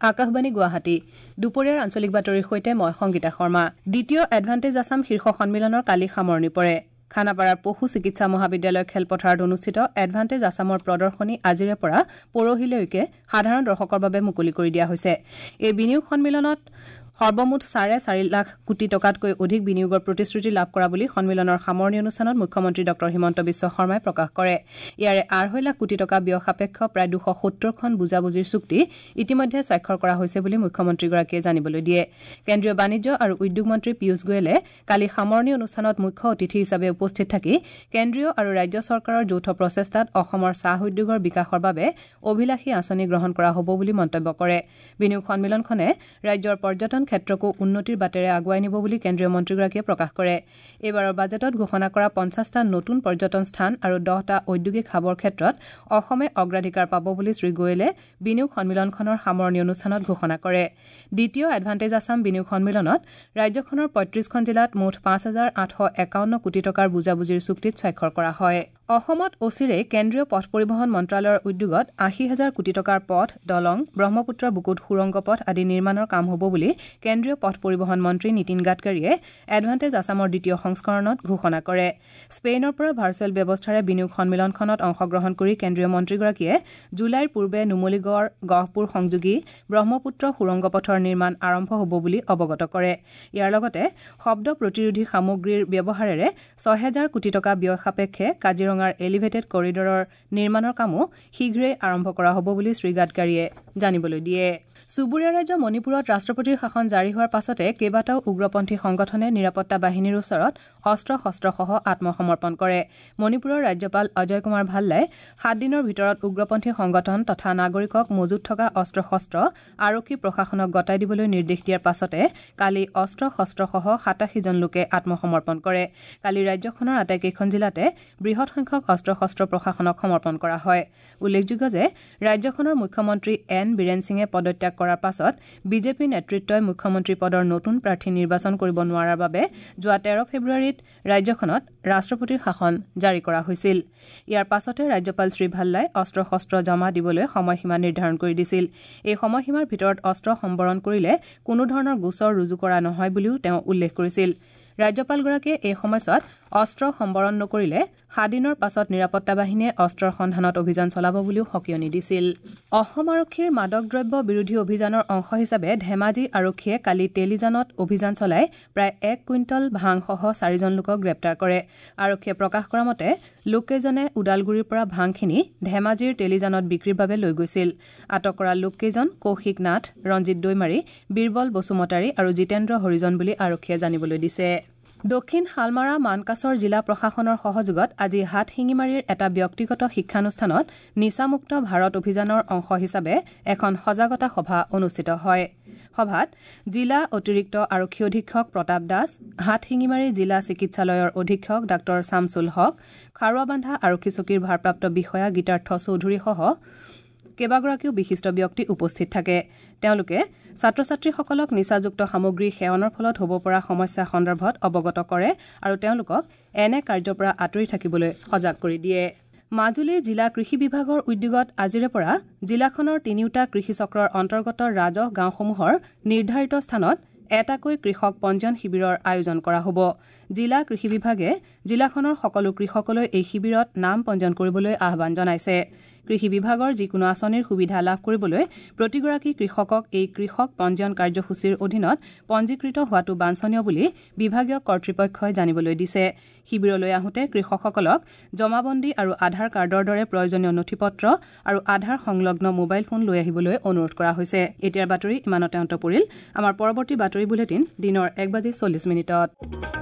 আকাশবাণী গুৱাহাটী দুপৰীয়াৰ আঞ্চলিক বাতৰিৰ সৈতে মই সংগীতা শৰ্মা। দ্বিতীয় এডভান্টেজ আছাম শীৰ্ষ সন্মিলনৰ কালি সামৰণি পৰে। খানাপাৰাৰ পশু চিকিৎসা মহাবিদ্যালয় খেলপথাৰত অনুষ্ঠিত এডভান্টেজ আছামৰ প্ৰদৰ্শনী আজিৰে পৰা পৰহিলৈকে সাধাৰণ দৰ্শকৰ বাবে মুকলি কৰি দিয়া হৈছে। এই বিনিয়োগ সন্মিলনত সৰ্বমুঠ 4.5 লাখ কোটি টকাতকৈ অধিক বিনিয়োগৰ প্ৰতিশ্ৰুতি লাভ কৰা বুলি সন্মিলনৰ সামৰণি অনুষ্ঠানত মুখ্যমন্ত্ৰী ডঃ হিমন্ত বিশ্ব শৰ্মাই প্ৰকাশ কৰে। ইয়াৰে 2.5 লাখ কোটি টকা ব্যয় সাপেক্ষ প্ৰায় 270খন বুজাবুজিৰ চুক্তি ইতিমধ্যে স্বাক্ষৰ কৰা হৈছে বুলি মুখ্যমন্ত্ৰীগৰাকীয়ে জানিবলৈ দিয়ে। কেন্দ্ৰীয় বাণিজ্য আৰু উদ্যোগ মন্ত্ৰী পীয়ুষ গোৱেলে কালি সামৰণি অনুষ্ঠানত মুখ্য অতিথি হিচাপে উপস্থিত থাকি কেন্দ্ৰীয় আৰু ৰাজ্য চৰকাৰৰ যৌথ প্ৰচেষ্টাত অসমৰ চাহ উদ্যোগৰ বিকাশৰ বাবে অভিলাষী আঁচনি গ্ৰহণ কৰা হ'ব বুলি মন্তব্য কৰে। বিনিয়োগ সন্মিলনখনে ৰাজ্যৰ পৰ্যটন ক্ষেত্ৰকো উন্নতিৰ বাটেৰে আগুৱাই নিব বুলি কেন্দ্ৰীয় মন্ত্ৰীগৰাকীয়ে প্ৰকাশ কৰে। এইবাৰৰ বাজেটত ঘোষণা কৰা 50টা নতুন পৰ্যটন স্থান আৰু 10টা ঔদ্যোগিক হাবৰ ক্ষেত্ৰত অসমে অগ্ৰাধিকাৰ পাব বুলি শ্ৰী গোৱেলে বিনিয়োগ সন্মিলনখনৰ সামৰণি অনুষ্ঠানত ঘোষণা কৰে। দ্বিতীয় এডভান্টেজ আছাম বিনিয়োগ সন্মিলনত ৰাজ্যখনৰ 35খন জিলাত মুঠ 5,851 কোটি টকাৰ বুজাবুজিৰ চুক্তিত স্বাক্ষৰ কৰা হয়। অসমত অচিৰেই কেন্দ্ৰীয় পথ পৰিবহণ মন্ত্ৰালয়ৰ উদ্যোগত 80,000 কোটি টকাৰ পথ, দলং, ব্ৰহ্মপুত্ৰৰ বুকুত সুৰংগ পথ আদি নিৰ্মাণৰ কাম হ'ব বুলি কেন্দ্ৰীয় পথ পৰিবহণ মন্ত্ৰী নীতিন গাডকাৰীয়ে এডভান্টেজ আছামৰ দ্বিতীয় সংস্কৰণত ঘোষণা কৰে। স্পেইনৰ পৰা ভাৰ্চুৱেল ব্যৱস্থাৰে বিনিয়োগ সন্মিলনখনত অংশগ্ৰহণ কৰি কেন্দ্ৰীয় মন্ত্ৰীগৰাকীয়ে জুলাইৰ পূৰ্বে নুমলীগড় গহপুৰ সংযোগী ব্ৰহ্মপুত্ৰ সুৰংগ পথৰ নিৰ্মাণ আৰম্ভ হ'ব বুলি অৱগত কৰে। ইয়াৰ লগতে শব্দ প্ৰতিৰোধী সামগ্ৰীৰ ব্যৱহাৰেৰে 6,000 কোটি টকা ব্যয় সাপেক্ষে কাজিৰঙাৰ এলিভেটেড কৰিডৰৰ নিৰ্মাণৰ কামো শীঘ্ৰেই আৰম্ভ কৰা হ'ব বুলি শ্ৰী গাডকাৰীয়ে জানিবলৈ দিয়ে। চুবুৰীয়া ৰাজ্য মণিপুৰত ৰাষ্ট্ৰপতিৰ শাসন জাৰি হোৱাৰ পাছতে কেইবাটাও উগ্ৰপন্থী সংগঠনে নিৰাপত্তা বাহিনীৰ ওচৰত অস্ত্ৰ শস্ত্ৰসহ আত্মসমৰ্পণ কৰে। মণিপুৰৰ ৰাজ্যপাল অজয় কুমাৰ ভাল্লাই 7 দিনৰ ভিতৰত উগ্ৰপন্থী সংগঠন তথা নাগৰিকক মজুত থকা অস্ত্ৰ শস্ত্ৰ আৰক্ষী প্ৰশাসনক গতাই দিবলৈ নিৰ্দেশ দিয়াৰ পাছতে কালি অস্ত্ৰ শস্ত্ৰসহ 87 জন লোকে আত্মসমৰ্পণ কৰে। কালি ৰাজ্যখনৰ আটাইকেইখন জিলাতে বৃহৎ সংখ্যক অস্ত্ৰ শস্ত্ৰ প্ৰশাসনক সমৰ্পণ কৰা হয়। উল্লেখযোগ্য যে ৰাজ্যখনৰ মুখ্যমন্ত্ৰী এন বীৰেন সিঙে পদত্যাগ কৰাৰ পাছত বিজেপি নেতৃত্বই মুখ্যমন্ত্ৰী পদৰ নতুন প্ৰাৰ্থী নিৰ্বাচন কৰিব নোৱাৰাৰ বাবে যোৱা 13 ফেব্ৰুৱাৰীত ৰাজ্যখনত ৰাষ্ট্ৰপতিৰ শাসন জাৰি কৰা হৈছিল। ইয়াৰ পাছতে ৰাজ্যপাল শ্ৰী ভাল্লাই অস্ত্ৰ শস্ত্ৰ জমা দিবলৈ সময়সীমা নিৰ্ধাৰণ কৰি দিছিল। এই সময়সীমাৰ ভিতৰত অস্ত্ৰ সম্বৰণ কৰিলে কোনো ধৰণৰ গোচৰ ৰুজু কৰা নহয় বুলিও তেওঁ উল্লেখ কৰিছিল। ৰাজ্যপালগৰাকীয়ে এই সময়ছোৱাত অস্ত্ৰ সম্বৰণ নকৰিলে 7 দিনৰ পাছত নিৰাপত্তা বাহিনীয়ে অস্ত্ৰৰ সন্ধানত অভিযান চলাব বুলিও সকীয়নি দিছিল। অসম আৰক্ষীৰ মাদক দ্ৰব্য বিৰোধী অভিযানৰ অংশ হিচাপে ধেমাজি আৰক্ষীয়ে কালি তেলিজানত অভিযান চলাই প্ৰায় 1 কুইণ্টল ভাংসহ 4 জন লোকক গ্ৰেপ্তাৰ কৰে। আৰক্ষীয়ে প্ৰকাশ কৰা মতে লোককেইজনে ওদালগুৰিৰ পৰা ভাংখিনি ধেমাজিৰ তেলিজানত বিক্ৰীৰ বাবে লৈ গৈছিল। আটক কৰা লোককেইজন কৌশিক নাথ, ৰঞ্জিত দৈমাৰী, বীৰবল বসুমতাৰী আৰু জিতেন্দ্ৰ হৰিজন বুলি আৰক্ষীয়ে জানিবলৈ দিছে। দক্ষিণ শালমাৰা মানকাছৰ জিলা প্ৰশাসনৰ সহযোগত আজি হাটশিঙিমাৰীৰ এটা ব্যক্তিগত শিক্ষানুষ্ঠানত নিচামুক্ত ভাৰত অভিযানৰ অংশ হিচাপে এখন সজাগতা সভা অনুষ্ঠিত হয়। সভাত জিলা অতিৰিক্ত আৰক্ষী অধীক্ষক প্ৰতাপ দাস, হাটশিঙিমাৰী জিলা চিকিৎসালয়ৰ অধীক্ষক ডাঃ ছামছুল হক, খাৰুৱাবান্ধা আৰক্ষী চকীৰ ভাৰপ্ৰাপ্ত বিষয়া গীতাৰ্থ চৌধুৰীসহ কেইবাগৰাকীও বিশিষ্ট ব্যক্তি উপস্থিত থাকে। তেওঁলোকে ছাত্ৰ ছাত্ৰীসকলক নিচাযুক্ত সামগ্ৰী সেৱনৰ ফলত হ'ব পৰা সমস্যা সন্দৰ্ভত অৱগত কৰে আৰু তেওঁলোকক এনে কাৰ্যৰ পৰা আঁতৰি থাকিবলৈ সজাগ কৰি দিয়ে। মাজুলী জিলা কৃষি বিভাগৰ উদ্যোগত আজিৰে পৰা জিলাখনৰ 3টা কৃষি চক্ৰৰ অন্তৰ্গত ৰাজহ গাঁওসমূহৰ নিৰ্ধাৰিত স্থানত এটাকৈ কৃষক পঞ্জীয়ন শিবিৰৰ আয়োজন কৰা হ'ব। জিলা কৃষি বিভাগে জিলাখনৰ সকলো কৃষকলৈ এই শিবিৰত নাম পঞ্জীয়ন কৰিবলৈ আহ্বান জনাইছে। কৃষি বিভাগৰ যিকোনো আঁচনিৰ সুবিধা লাভ কৰিবলৈ প্ৰতিগৰাকী কৃষকক এই কৃষক পঞ্জীয়ন কাৰ্যসূচীৰ অধীনত পঞ্জীকৃত হোৱাটো বাঞ্ছনীয় বুলি বিভাগীয় কৰ্তৃপক্ষই জানিবলৈ দিছে। শিবিৰলৈ আহোঁতে কৃষকসকলক জমাবন্দী আৰু আধাৰ কাৰ্ডৰ দৰে প্ৰয়োজনীয় নথিপত্ৰ আৰু আধাৰ সংলগ্ন মোবাইল ফোন লৈ আহিবলৈ অনুৰোধ কৰা হৈছে। এতিয়াৰ বাতৰি ইমানতে অন্ত পৰিল। আমাৰ পৰৱৰ্তী বাতৰি বুলেটিন দিনৰ 1:40।